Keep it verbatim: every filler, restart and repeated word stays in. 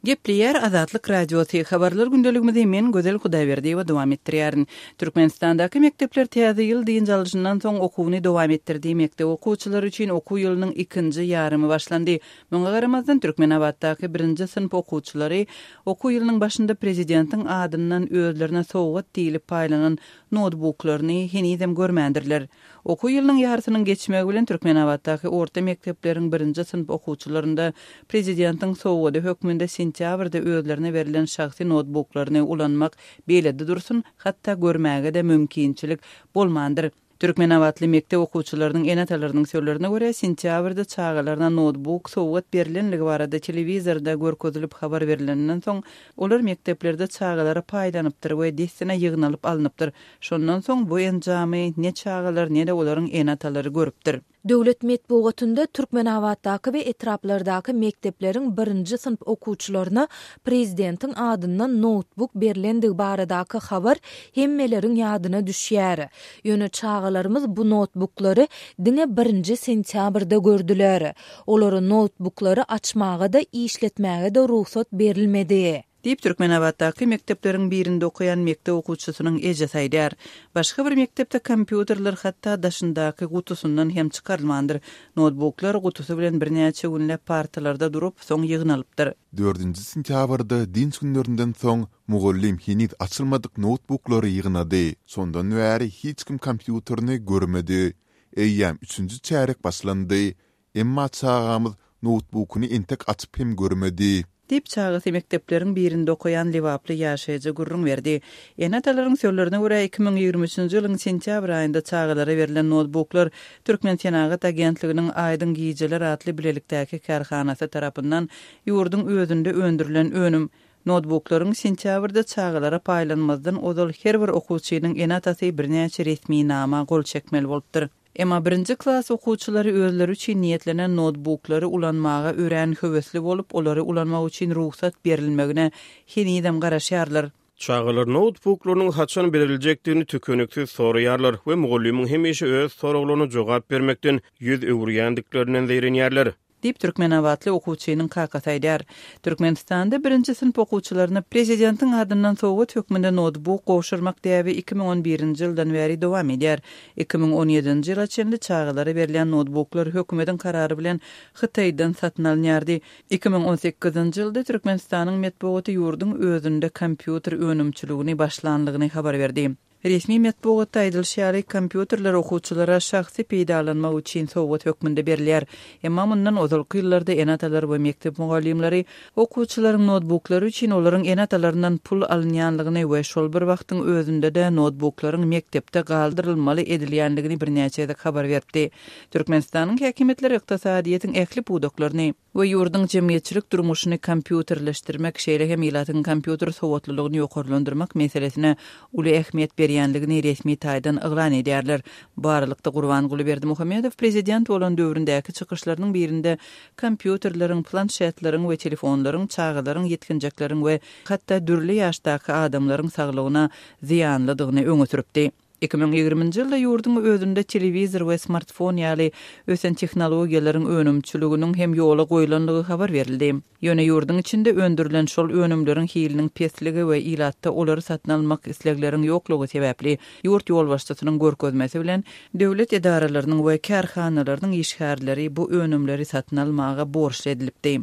Gepleýär Azatlyk Radiosy. Habarlar gündeligimizi men Gözel Hudaýberdiýewa dowam etdirýärin. Türkmenistandaky mekdepler täze ýyl dynç alyşyndan soň okuwyny dowam etdirdi. Mekdep okuwçylary üçin okuw ýylynyň ikinji ýarymy başlandy. Muňa garamazdan Türkmenabatdaky birinji synp okuwçylary okuw ýylynyň başynda prezidentiň adyndan özlerine sowgat diýlip paýlanan noutbuklaryny henizem görmändirler. Okuw ýylynyň ýarysynyň geçmegi bilen Türkmenabatdaky orta mekdepleriň birinji synp okuwçylarynda prezidentiň sowgady hökmünde sentýabrda özlerine berlen şahsy noutbuklaryny ulanmak beýlede dursun, hatda görmäge-de mümkinçilik bolmandyr. Türkmenabatly mekdep okuwçylarynyň ene-atalarynyň sözlerine görä, sentýabrda çagalaryna noutbuk sowgat berlenligi barada telewizorda görkezilip habar berilenden soň, olar mekdeplerde çagalara paýlanypdyr we dessine ýygnalyp alnypdyr. Şondan soň bu enjamy ne çagalar, ne-de olaryň ene-atalary görüpdir. Döwlet metbugatynda Türkmenabatdaky we etraplardaky mekdepleriň birinji synp okuwçylaryna prezidentiň adyndan noutbuk berlendigi baradaky habar hemmeleriň ýadyna düşýär. Ýöne çagalarymyz bu noutbuklary diňe birinji sentýabrda gördüler. Olara noutbuklary açmaga-da, işletmäge-de rugsat berilmedi. Diýip, Türkmenabatdaky mekdepleriň birinde okaýan mekdep okuwçysynyň ejesi aýdýar. Başga bir mekdepde kompýuterler hatda daşyndaky gutusyndan hem çykarylmandyr. Noutbuklar gutusy bilen birnäçe günläp partalarda durup, soň ýygnalypdyr. Dördünji sentýabrda dynç günlerinden soň mugallym heniz açylmadyk noutbuklary ýygnady. Şondan bäri hiç kim kompýuterini görmedi. Eýýäm üçünji çärek başlandy. Emma çagamyz noutbukyny entek açyp hem görmedi. Diýip, çagasy mekdepleriň birinde okaýan lebaply ýaşaýjy gürrüň berdi. Ene-atalaryň sözlerine görä, iki müň ýigrimi üçünji ýylyň sentýabr aýynda çagalara berlen noutbuklar Türkmensenagat agentliginiň Aýdyň gijeler atly bilelikdäki kärhanasy tarapyndan ýurduň özünde öndürilen önüm. Noutbuklaryň sentýabrda çagalara paýlanmazdan ozal her bir okuwçynyň ene-atasy birnäçe resminama gol çekmeli bolupdyr. Emma birinji klas okuwçylary özleri üçin niýetlenen noutbuklary ulanmaga örän höwesli bolup, olary ulanmak üçin rugsat berilmegine henizem garaşýarlar. Çagalar noutbuklarynyň haçan beriljekdigini tükeniksiz soraýarlar we mugallymyň hemişe öz soraglaryna jogap bermekden ýüz öwürýändiklerinden zeýrenýärler. Diýip, türkmenabatly okuwçynyň kakasy aýdýar. Türkmenistanda birinji synp okuwçylaryna prezidentiň adyndan sowgat hökmünde noutbuk gowşurmak däbi iki müň on birinji ýyldan bäri dowam edýär. Iki müň on ýedinji ýyla çenli çagalara berilýän noutbuklar hökümetiň karary bilen Hytaýdan satyn alynýardy. Iki müň on sekizinji ýylda Türkmenistanyň metbugaty ýurduň özünde kompýuter önümçiligini başlanlygyny habar berdi. Resmi metbugatda aýdylyşy ýaly, kompýuterler okuwçylara şahsy peýdalanmak üçin sowgat hökmünde berilýär. Emma mundan ozalky ýyllarda ene-atalar we mekdep mugallymlary okuwçylaryň noutbuklary üçin olaryň ene-atalaryndan pul alynýanlygyny we şol bir wagtyň özünde-de noutbuklaryň mekdepde galdyrylmaly edilýänligini birnäçe gezek habar beripdi. Türkmenistanyň häkimiýetleri ykdysadyýetiň ähli pudaklaryny we ýurduň jemgyýetçilik durmuşyny kompýuterleşdirmek, şeýle hem ilatyň kompýuter sowatlylygyny ýokarlandyrmak meselesine uly ähmiýet berýänligini resmi taýdan yglan edýärler. Bu aralykda Gurbanguly Berdimuhamedow prezident bolan döwründäki çykyşlarynyň birinde kompýuterleriň, planşetleriň we telefonlaryň çagalaryň, ýetginjekleriň we hatda dürli ýaşdaky adamlaryň saglygyna zyýanlydygyny öňe sürüpdi. Iki müň ýigriminji ýylda ýurduň özünde telewizor we smartfon ýaly ösen tehnologiýalaryň önümçiliginiň hem ýola goýlanlygy habar berildi. Ýöne ýurduň içinde öndürilen şol önümleriň hiliniň pesligi we ilatda olary satyn almak islegleriň ýoklugy sebäpli ýurt ýolbaşçysynyň görkezmesi bilen döwlet edaralarynyň we kärhanalarynyň işgärleri bu önümleri satyn almaga borçly edilipdi.